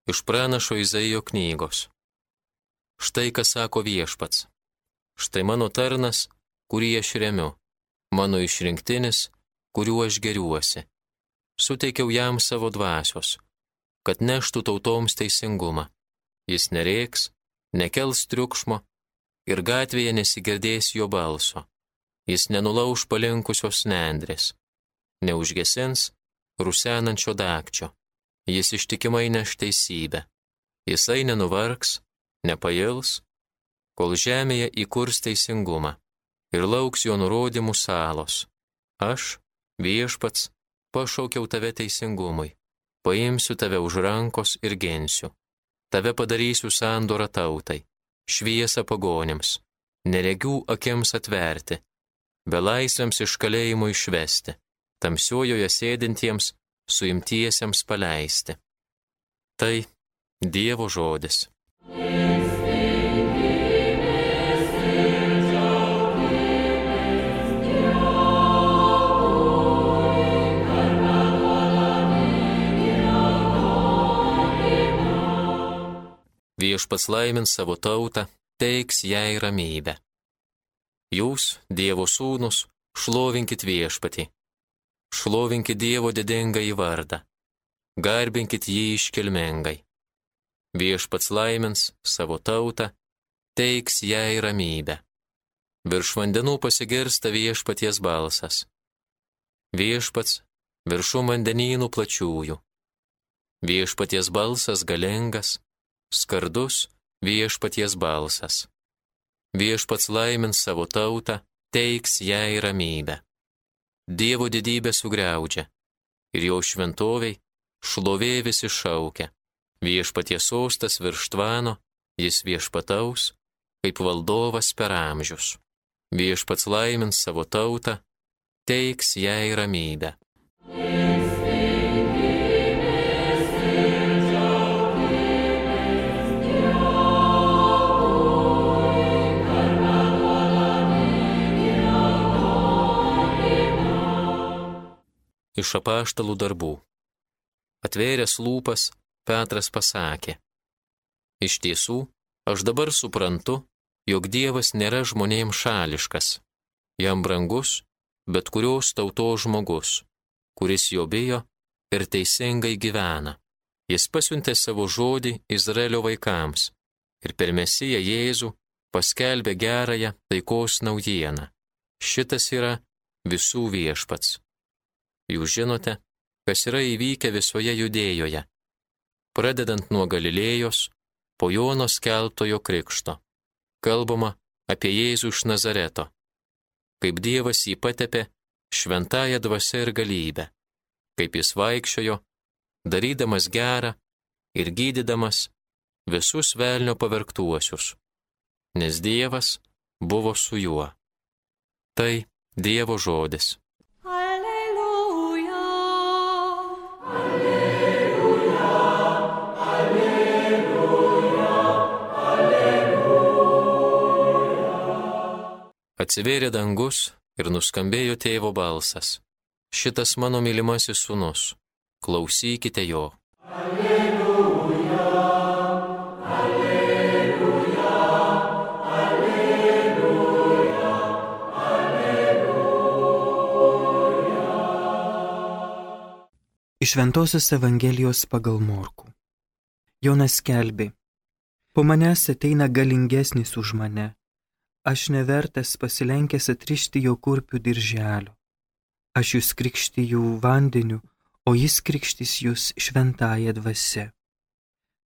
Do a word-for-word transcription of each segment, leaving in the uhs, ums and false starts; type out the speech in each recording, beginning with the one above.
Iš pranašo Izaijo knygos. Štai ką sako Viešpats. Štai mano tarnas, kurį aš remiu, mano išrinktinis, kuriuo aš geriuosi. Suteikiau jam savo dvasios, kad neštų tautoms teisingumą. Jis nerėks, nekels triukšmo ir gatvėje nesigirdės jo balso. Jis nenulauš palinkusios nendrės, neužgesins rusenančio dagčio. Jis ištikimai neš teisybę. Jisai nenuvargs, nepails, kol žemėje įkurs teisingumą ir lauks jo nurodymų salos. Aš, Viešpats, pašaukiau tave teisingumui, paimsiu tave už rankos ir gensiu. Tave padarysiu sandorą tautai, šviesą pagonims, neregių akims atverti, belaisviams iš kalėjimo išvesti, tamsiojoje sėdintiems suimtiesiems paleisti. Tai Dievo žodis. Viešpats laimins savo tautą, teiks jai ramybę. Jūs, Dievo sūnus, šlovinkit Viešpatį. Šlovinkit Dievo didingąjį vardą. Garbinkit jį iškilmingai. Viešpats laimins savo tautą, teiks jai ramybę. Virš vandenų pasigirsta Viešpaties balsas. Viešpats viršum vandenynų plačiųjų. Viešpaties balsas galingas, skardus Viešpaties balsas. Viešpats laimins savo tautą, teiks jai ramybę. Dievo didybę sugriaudžia ir jo šventoviai šlovė visi šaukia. Viešpaties sostas virš tvano, jis viešpataus, kaip valdovas per amžius. Viešpats laimins savo tautą, teiks jai ramybę. Iš apaštalų darbų. Atvėręs lūpas, Petras pasakė: Iš tiesų, aš dabar suprantu, jog Dievas nėra žmonėms šališkas. Jam brangus, bet kurios tautos žmogus, kuris jo bijo ir teisingai gyvena. Jis pasiuntė savo žodį Izraelio vaikams ir per Mesiją Jėzų paskelbė gerąją taikos naujieną. Šitas yra visų Viešpats. Jūs žinote, kas yra įvykę visoje Judėjoje, pradedant nuo Galilėjos, po Jono skelbtojo krikšto. Kalbama apie Jėzų iš Nazareto, kaip Dievas jį patepė šventąja dvasia ir galybė, kaip jis vaikščiojo, darydamas gerą ir gydydamas visus velnio pavergtuosius, nes Dievas buvo su juo. Tai Dievo žodis. Atsivėrė dangus ir nuskambėjo tėvo balsas. Šitas mano mylimasis sūnus, klausykite jo. Alleluja, alleluja, alleluja, alleluja. Iš Šventosios Evangelijos pagal Morkų. Jonas skelbė: Po manęs ateina galingesnis už mane. Aš nevertas pasilenkęs atrišti jo kurpių dirželio. Aš jūs krikštiju vandeniu, o jis krikštys jūs šventąja dvasia.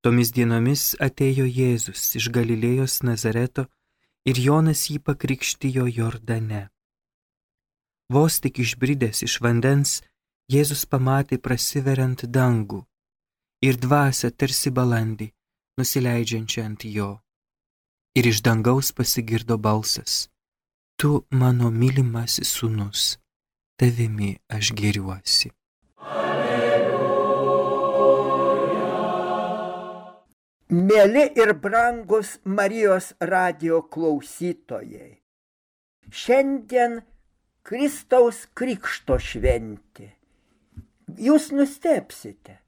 Tomis dienomis atėjo Jėzus iš Galilėjos Nazareto ir Jonas jį pakrikštijo Jordane. Vos tik išbridęs iš vandens, Jėzus pamatė prasiveriant dangų ir dvasią tarsi balandį, nusileidžiančią ant jo. Ir iš dangaus pasigirdo balsas: Tu mano mylimasis sūnus, tavimi aš gėriuosi. Alleluja. Mėly ir brangus Marijos radijo klausytojai, šiandien Kristaus krikšto šventė. Jūs nustebsite,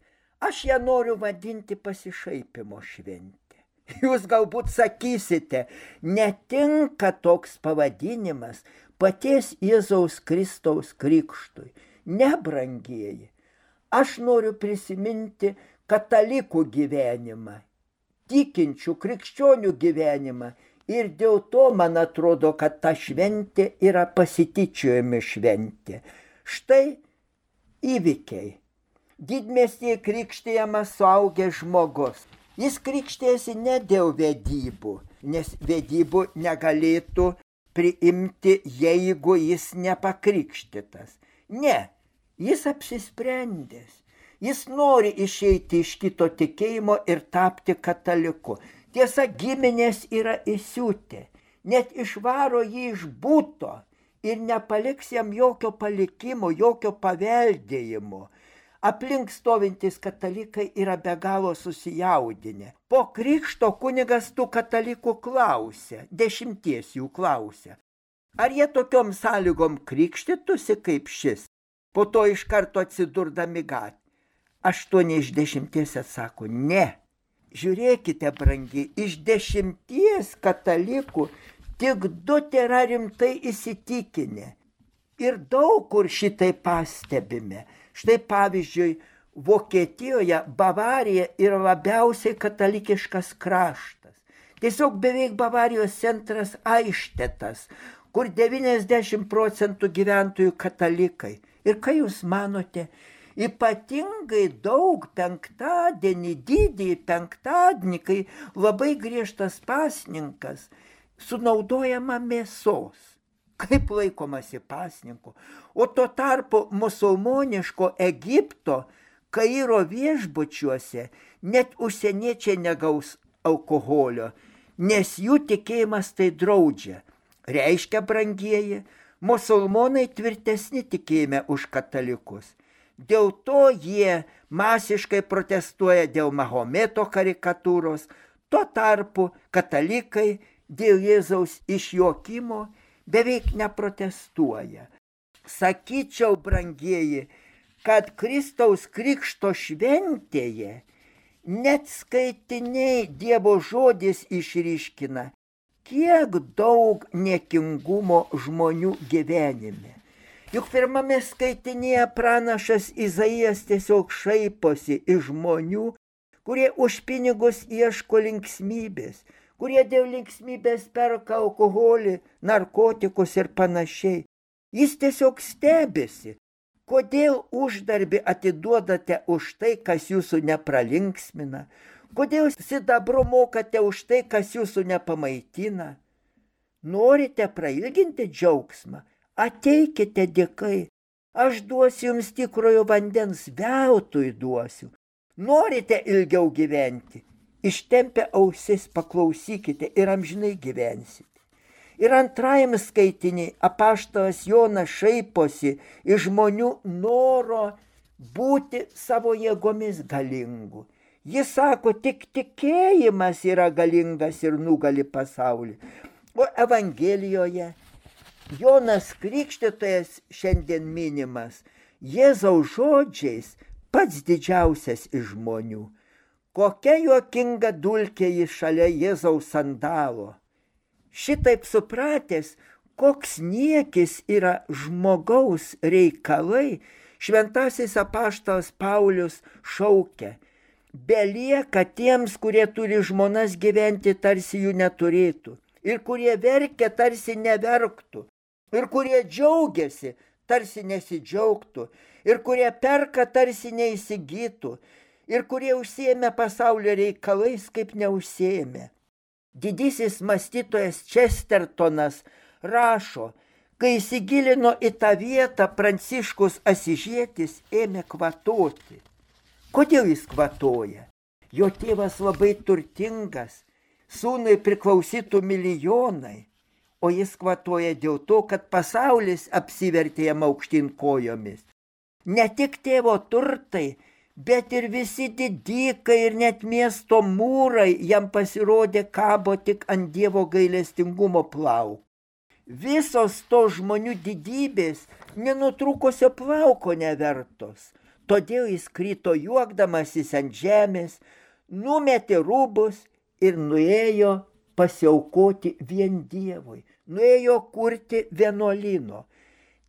Aš ją noriu vadinti pasišaipimo šventė. Jūs galbūt sakysite, netinka toks pavadinimas paties Jėzaus Kristaus krikštui. Ne, brangieji, aš noriu prisiminti katalikų gyvenimą, tikinčių krikščionių gyvenimą ir dėl to man atrodo, kad ta šventė yra pasityčiojami šventė. Štai įvykiai. Didmiestyje krikštijamas suaugęs žmogus. Jis krikštėsi ne dėl vedybų, nes vedybų negalėtų priimti, jeigu jis nepakrikštytas. Ne, jis apsisprendęs. Jis nori išeiti iš kito tikėjimo ir tapti kataliku. Tiesa, giminės yra įsiutę, net išvaro jį iš buto ir nepaliks jam jokio palikimo, jokio paveldėjimo. Aplink stovintys katalikai yra be galo susijaudinę. Po krikšto kunigas tų katalikų klausia, dešimties jų klausia, ar jie tokiom sąlygom krikštytųsi kaip šis, po to iš karto atsidurdami gatvėje. Aštuoni iš dešimties atsako, ne. Žiūrėkite, brangi, iš dešimties katalikų tik du tėra rimtai įsitikinę. Ir daug kur šitai pastebime. Štai pavyzdžiui, Vokietijoje Bavarija yra labiausiai katalikiškas kraštas. Tiesiog beveik Bavarijos centras Aištetas, kur devyniasdešimt procentų gyventojų katalikai. Ir ką jūs manote? Ypatingai daug penktadienį, didįjį penktadienį, kai labai griežtas pasninkas, sunaudojama mėsos. Kaip laikomasi pasninku. O tuo tarpu musulmoniško Egipto Kairo viešbučiuose net užsieniečiai negaus alkoholio, nes jų tikėjimas tai draudžia. Reiškia, brangieji, musulmonai tvirtesni tikėjime už katalikus. Dėl to jie masiškai protestuoja dėl Mahometo karikatūros, tuo tarpu katalikai dėl Jėzaus išjuokimo beveik neprotestuoja. Sakyčiau, brangieji, kad Kristaus krikšto šventėje net skaitiniai Dievo žodis išryškina, kiek daug niekingumo žmonių gyvenime. Juk pirmame skaitinėje pranašas Izaijas tiesiog šaiposi iš žmonių, kurie už pinigus ieško linksmybės, kurie dėl linksmybės perka alkoholį, narkotikus ir panašiai. Jis tiesiog stebisi, kodėl uždarbį atiduodate už tai, kas jūsų nepralinksmina, kodėl sidabru mokate už tai, kas jūsų nepamaitina. Norite prailginti džiaugsmą? Ateikite dėkai, aš duosiu jums tikrojo vandens, veltui duosiu. Norite ilgiau gyventi? Ištempę ausis paklausykite ir amžinai gyvensite. Ir antrajam skaitiniai apaštalas Jonas šaiposi iš žmonių noro būti savo jėgomis galingu. Jis sako, tik tikėjimas yra galingas ir nugali pasaulį. O Evangelijoje Jonas Krikštytojas šiandien minimas Jėzaus žodžiais pats didžiausias iš žmonių. Kokia juokinga dulkė jis šalia Jėzaus sandalo. Šitaip supratęs, koks niekis yra žmogaus reikalai, šventasis apaštalas Paulius šaukia. Belieka tiems, kurie turi žmonas gyventi, tarsi jų neturėtų. Ir kurie verkia, tarsi neverktų. Ir kurie džiaugiasi, tarsi nesidžiaugtų. Ir kurie perka, tarsi neįsigytų. Ir kurie užsiėmė pasaulio reikalais, kaip neužsiėmė. Didysis mąstytojas Čestertonas rašo, kai įsigilino į tą vietą, Pranciškus Asižietis ėmė kvatoti. Kodėl jis kvatoja? Jo tėvas labai turtingas, sūnui priklausytų milijonai, o jis kvatoja dėl to, kad pasaulis apsivertė jam aukštyn kojomis. Ne tik tėvo turtai, bet ir visi didykai ir net miesto mūrai jam pasirodė kabo tik ant Dievo gailestingumo plaukų. Visos to žmonių didybės nenutrūkusio plauko nevertos. Todėl jis krito juokdamasis ant žemės, numetė rūbus ir nuėjo pasiaukoti vien Dievui. Nuėjo kurti vienuolyno.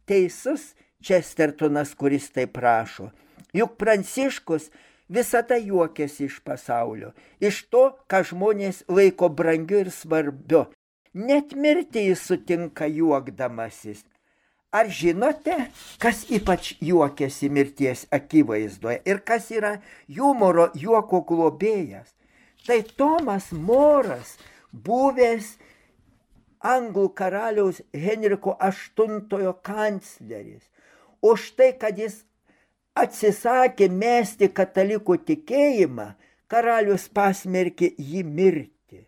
Teisus Čestertonas, kuris taip prašo. Juk Pranciškus visada juokiasi iš pasaulio, iš to, ką žmonės laiko brangiu ir svarbiu. Net mirtį jis sutinka juokdamasis. Ar žinote, kas ypač juokiasi mirties akivaizdoje ir kas yra humoro juoko globėjas? Tai Tomas Moras, buvęs anglų karaliaus Henriko aštuntojo kancleris. Už tai, kad jis atsisakė mesti katalikų tikėjimą, karalius pasmerkė jį mirti.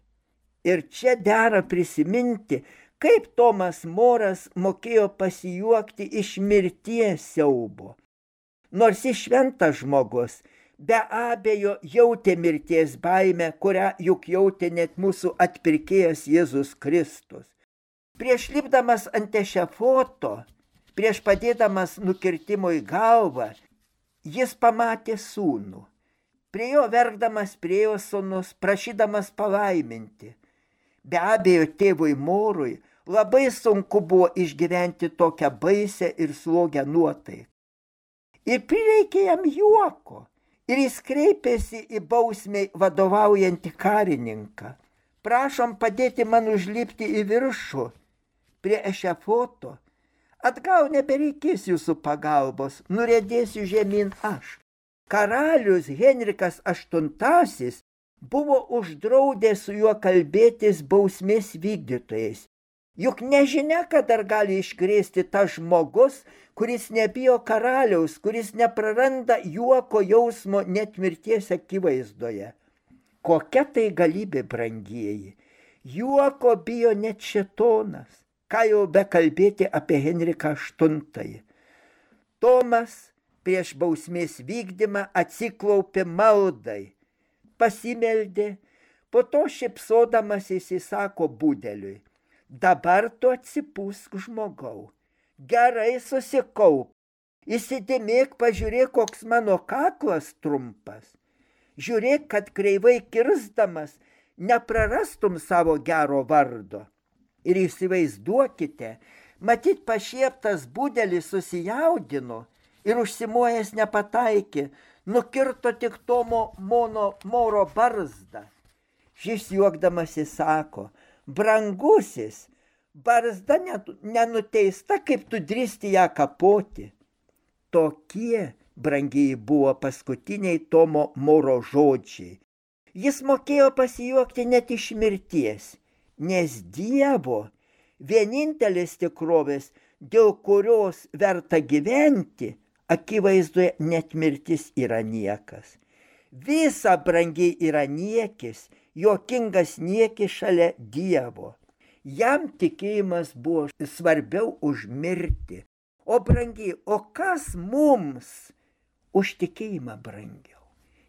Ir čia dera prisiminti, kaip Tomas Moras mokėjo pasijuokti iš mirties siaubo. Nors jis šventas žmogus, be abejo jautė mirties baimę, kurią juk jautė net mūsų atpirkėjas Jėzus Kristus. Prieš lipdamas ant ešafoto, prieš padėdamas nukirtimo į galvą, jis pamatė sūnų. Prie jo verkdamas priėjo sūnus, prašydamas palaiminti. Be abejo, tėvui Morui labai sunku buvo išgyventi tokią baisę ir slogę nuotaiką. Ir prireikė jam juoko. Ir jis kreipėsi į bausmei vadovaujantį karininką. Prašom padėti man užlipti į viršų prie ešafoto. Atgal nebereikės jūsų pagalbos, nuriedėsiu žemyn aš. Karalius Henrikas aštuntasis buvo uždraudęs su juo kalbėtis bausmės vykdytojais. Juk nežinia, kad dar gali iškrėsti tas žmogus, kuris nebijo karaliaus, kuris nepraranda juoko jausmo net mirties akivaizdoje. Kokia tai galybė, brangieji. Juoko bijo net šėtonas. Ką jau bekalbėti apie Henriką aštuntąjį. Tomas prieš bausmės vykdymą atsiklaupė maldai, pasimeldė, po to šypsodamas įsisako budeliui. Dabar tu atsipūsk, žmogau, gerai susikaup, įsidėmėk, pažiūrėk, koks mano kaklas trumpas. Žiūrėk, kad kreivai kirsdamas neprarastum savo gero vardo. Ir įsivaizduokite, matyt pašieptas budelis susijaudino ir užsimojęs nepataikė, nukirto tik Tomo mono Moro barzdą. Šis juokdamasi sako, brangusis, barzda nenuteista, kaip tu drįsti ją kapoti. Tokie, brangiai, buvo paskutiniai Tomo Moro žodžiai. Jis mokėjo pasijuokti net iš mirties. Nes Dievo vienintelis tikrovės, dėl kurios verta gyventi, akivaizdoje net mirtis yra niekas. Visa brangiai yra niekis, juokingas niekis šalia Dievo. Jam tikėjimas buvo svarbiau už mirtį. O brangiai, o kas mums už tikėjimą brangiau?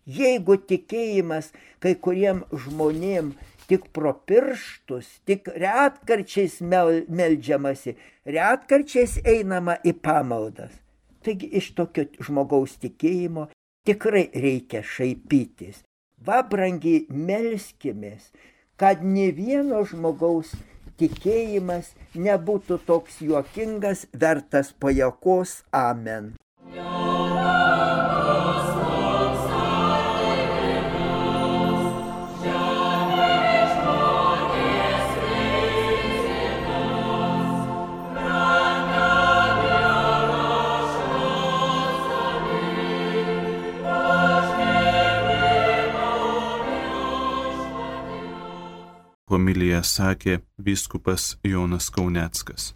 Jeigu tikėjimas kai kuriem žmonėm tik pro pirštus, tik retkarčiais mel, meldžiamasi, retkarčiais einama į pamaldas. Taigi iš tokio žmogaus tikėjimo tikrai reikia šaipytis. Va, brangiai, melskimės, kad ne vieno žmogaus tikėjimas nebūtų toks juokingas, vertas pajuokos. Amen. Homiliją sakė vyskupas Jonas Kauneckas.